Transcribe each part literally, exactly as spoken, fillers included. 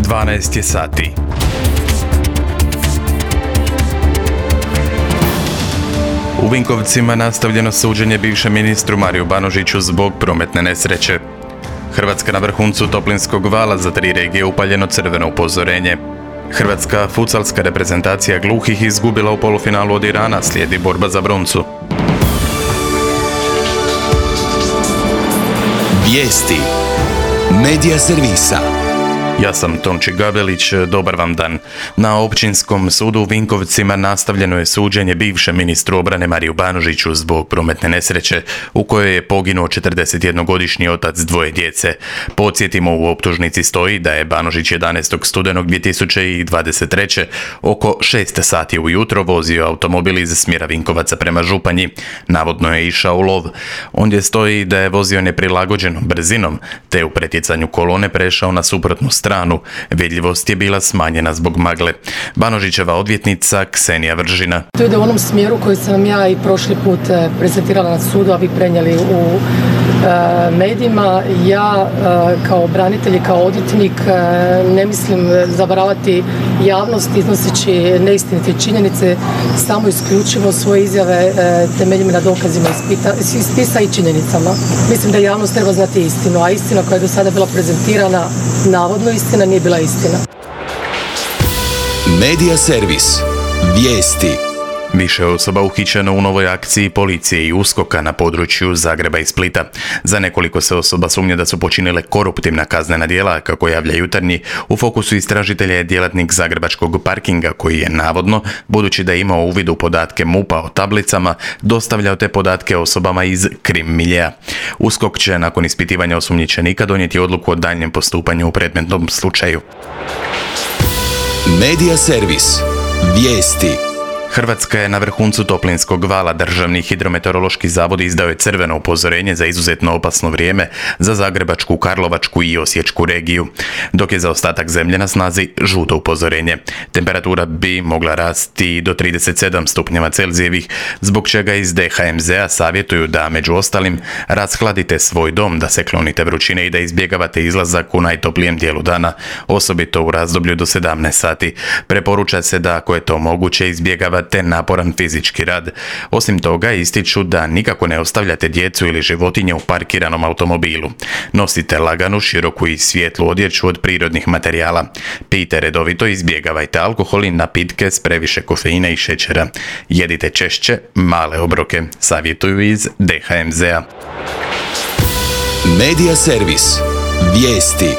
dvanaest je sati. U Vinkovcima nastavljeno suđenje bivšem ministru Mariju Banožiću zbog prometne nesreće. Hrvatska na vrhuncu toplinskog vala, za tri regije upaljeno crveno upozorenje. Hrvatska futsalska reprezentacija gluhih izgubila u polufinalu od Irana, slijedi borba za broncu. Vijesti Medija servisa. Ja sam Tonči Gabelić, dobar vam dan. Na Općinskom sudu u Vinkovcima nastavljeno je suđenje bivšem ministru obrane Mariju Banožiću zbog prometne nesreće u kojoj je poginuo četrdesetjednogodišnji otac dvoje djece. Podsjetimo, u optužnici stoji da je Banožić jedanaestog studenog dvije tisuće dvadeset treće oko šest sati ujutro vozio automobil iz smjera Vinkovaca prema Županji. Navodno je išao u lov. Ondje stoji da je vozio neprilagođenom brzinom, te u pretjecanju kolone prešao na suprotnu stranu. stranu. Vidljivost je bila smanjena zbog magle. Banožićeva odvjetnica Ksenija Vržina. To ide u onom smjeru koji sam ja i prošli put prezentirala na sudu, a vi prenijeli u e, medijima. Ja e, kao branitelj i kao odvjetnik e, ne mislim zavaravati javnost iznoseći neistinite činjenice, samo isključivo svoje izjave e, temeljim na dokazima iz spisa i činjenicama. Mislim da javnost treba znati istinu, a istina koja je do sada bila prezentirana, navodno istina, nije bila istina. Medija servis. Vijesti. Više osoba uhićeno u novoj akciji policije i uskoka na području Zagreba i Splita. Za nekoliko se osoba sumnja da su počinile koruptivna kaznena djela, kako javlja Jutarnji. U fokusu istražitelja je djelatnik zagrebačkog parkinga koji je navodno, budući da je imao uvid u podatke MUP-a o tablicama, dostavljao te podatke osobama iz krim miljea. Uskok će nakon ispitivanja osumnjičenika donijeti odluku o daljnjem postupanju u predmetnom slučaju. Medija servis. Vijesti. Hrvatska je na vrhuncu toplinskog vala. Državni hidrometeorološki zavod izdao je crveno upozorenje za izuzetno opasno vrijeme za Zagrebačku, Karlovačku i Osječku regiju, dok je za ostatak zemlje na snazi žuto upozorenje. Temperatura bi mogla rasti do trideset sedam stupnjeva Celzijevih, zbog čega iz D H M Z-a savjetuju da, među ostalim, rashladite svoj dom, da se klonite vrućine i da izbjegavate izlazak u najtoplijem dijelu dana, osobito u razdoblju do sedamnaest sati. Preporuča se da, ako je to moguće, izbjegavate te naporan fizički rad. Osim toga, ističu da nikako ne ostavljate djecu ili životinje u parkiranom automobilu. Nosite laganu, široku i svijetlu odjeću od prirodnih materijala. Pijte redovito, izbjegavajte alkohol i napitke s previše kofeina i šećera. Jedite češće male obroke, savjetuju iz D H M Z-a. Medija servis. Vijesti.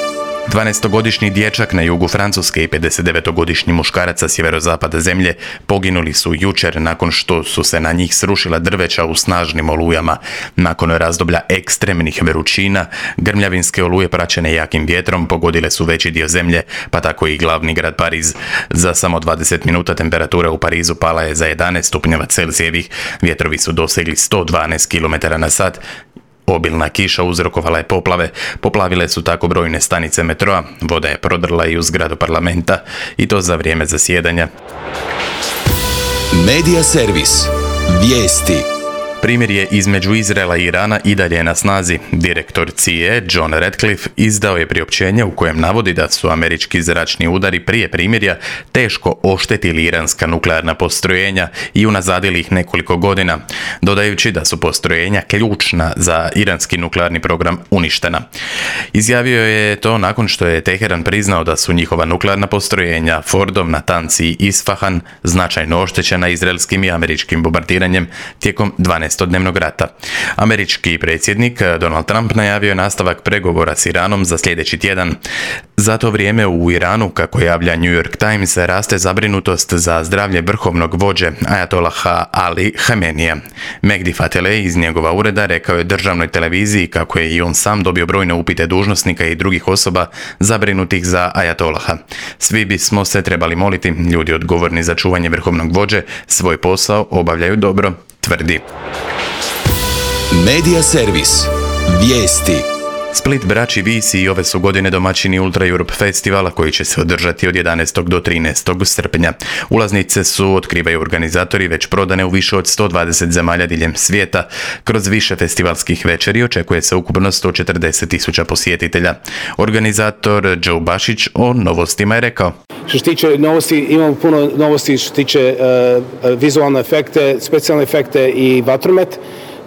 dvanaestogodišnji dječak na jugu Francuske i pedesetdevetogodišnji muškarac sa sjeverozapada zemlje poginuli su jučer nakon što su se na njih srušila drveća u snažnim olujama. Nakon razdoblja ekstremnih vrućina, grmljavinske oluje praćene jakim vjetrom pogodile su veći dio zemlje, pa tako i glavni grad Pariz. Za samo dvadeset minuta temperatura u Parizu pala je za jedanaest stupnjeva Celzijevih, vjetrovi su dosegli sto dvanaest kilometara na sat. Obilna kiša uzrokovala je poplave, poplavile su tako brojne stanice metroa, voda je prodrla i u zgradu parlamenta, i to za vrijeme zasjedanja. Medija servis. Vijesti. Primirje između Izraela i Irana i dalje je na snazi. Direktor C I A John Ratcliffe izdao je priopćenje u kojem navodi da su američki zračni udari prije primirja teško oštetili iranska nuklearna postrojenja i unazadili ih nekoliko godina, dodajući da su postrojenja ključna za iranski nuklearni program uništena. Izjavio je to nakon što je Teheran priznao da su njihova nuklearna postrojenja Fordov, Natanz i Isfahan značajno oštećena izraelskim i američkim bombardiranjem tijekom dvanaestodnevnog rata. Američki predsjednik Donald Trump najavio je nastavak pregovora s Iranom za sljedeći tjedan. Za to vrijeme u Iranu, kako javlja New York Times, raste zabrinutost za zdravlje vrhovnog vođe Ajatolaha Ali Hamenija. Mehdi Fatileh iz njegova ureda rekao je državnoj televiziji kako je i on sam dobio brojne upite dužnosnika i drugih osoba zabrinutih za Ajatolaha. Svi bismo se trebali moliti, ljudi odgovorni za čuvanje vrhovnog vođe svoj posao obavljaju dobro, tvrdi. Medija servis. Vijesti. Split Braći Visi i ove su godine domaćini Ultra Europe festivala koji će se održati od jedanaestog do trinaestog srpnja. Ulaznice su, otkrivaju organizatori, već prodane u više od sto dvadeset zemalja diljem svijeta. Kroz više festivalskih večeri očekuje se ukupno sto četrdeset tisuća posjetitelja. Organizator Joe Bašić o novostima je rekao: Što se tiče novosti, imamo puno novosti što se tiče uh, vizualne efekte, specijalne efekte i vatromet.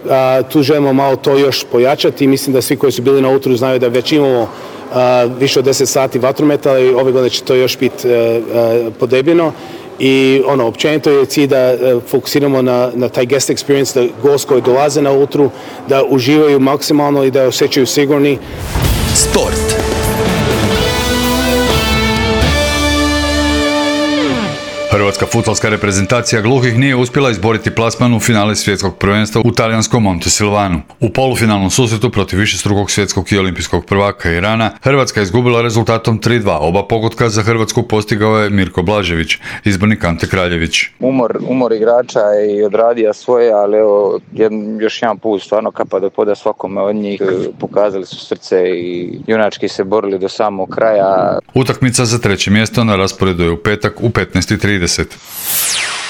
Uh, tu želimo malo to još pojačati. Mislim da svi koji su bili na Ultru znaju da već imamo uh, više od deset sati vatrometa, ali ove godine će to još biti uh, uh, podebljeno. I ono, općenito je cilj da uh, fokusiramo na, na taj guest experience, da gost koji dolaze na Ultru, da uživaju maksimalno i da osjećaju sigurni. Sport. Hrvatska fudbalska reprezentacija gluhih nije uspjela izboriti plasman u finale svjetskog prvenstva u talijanskom Montesilvanu. U polufinalnom susretu protiv višestrukog svjetskog i olimpijskog prvaka Irana, Hrvatska je izgubila rezultatom tri dva. Oba pogotka za Hrvatsku postigao je Mirko Blažević, izbornik Ante Kraljević. Umor, umor igrača je i odradio svoje, ali evo, jedan, još jedan put stvarno kapa do poda svakome od njih. Pokazali su srce i junački se borili do samog kraja. Utakmica za treće mjesto na rasporedu je u petak u petnaest i trideset.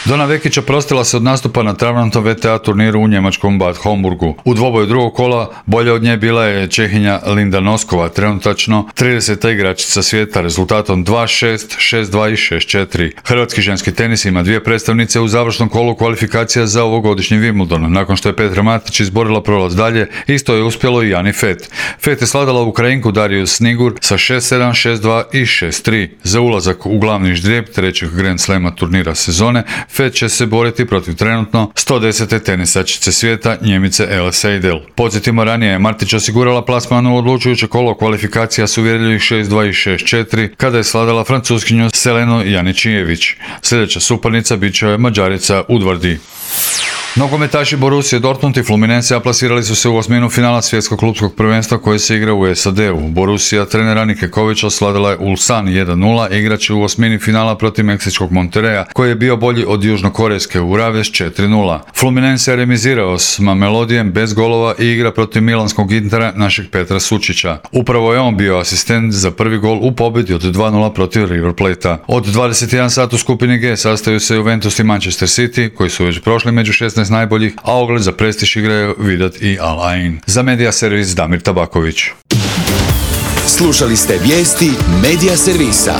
Dona Vekića prostila se od nastupa na travnatom V T A turniru u njemačkom Bad Homburgu. U dvoboju drugog kola bolja od nje bila je Čehinja Linda Noskova, trenutačno trideseta igračica svijeta, rezultatom dva šest, šest dva i šest četiri. Hrvatski ženski tenis ima dvije predstavnice u završnom kolu kvalifikacija za ovogodišnji Wimbledon. Nakon što je Petra Matić izborila prolaz dalje, isto je uspjelo i Jani Fet. Fet je sladala Ukrajinku Dariju Snigur sa šest sedam, šest dva i šest tri. Za ulazak u glavni ždrijeb trećeg Grand Slema turnira sezone, Fet će se boriti protiv trenutno sto desete tenisačice svijeta, Njemice Elle Seidel. Podsjetimo, ranije je Martić osigurala plasman u odlučujuće kolo kvalifikacija s uvjerljivih šest dva i šest četiri kada je sladala Francuskinju Selenu Janičijević. Sljedeća suparnica bit će Mađarica Udvardi. Nogometaši Borussia Dortmund i Fluminense plasirali su se u osminu finala svjetskog klupskog prvenstva koje se igra u S A D-u. Borussia trenera Nike Kovića osladila je Ulsan jedan nula, igrač u osmini finala protiv meksičkog Monterreja koji je bio bolji od južnokorejske Uraves četiri nula. Fluminense je remizirao s Mamelodijem bez golova i igra protiv milanskog Intera našeg Petra Sučića. Upravo je on bio asistent za prvi gol u pobjedi od dva nula protiv River Plate-a. Od dvadeset jedan sat u skupini G sastaju se Juventus i Manchester City koji su već prošli među šesnaest najboljih, a ogled za prestiž igraju Vidat i Al Ain. Za Medija Servis Damir Tabaković. Slušali ste vijesti Medija Servisa.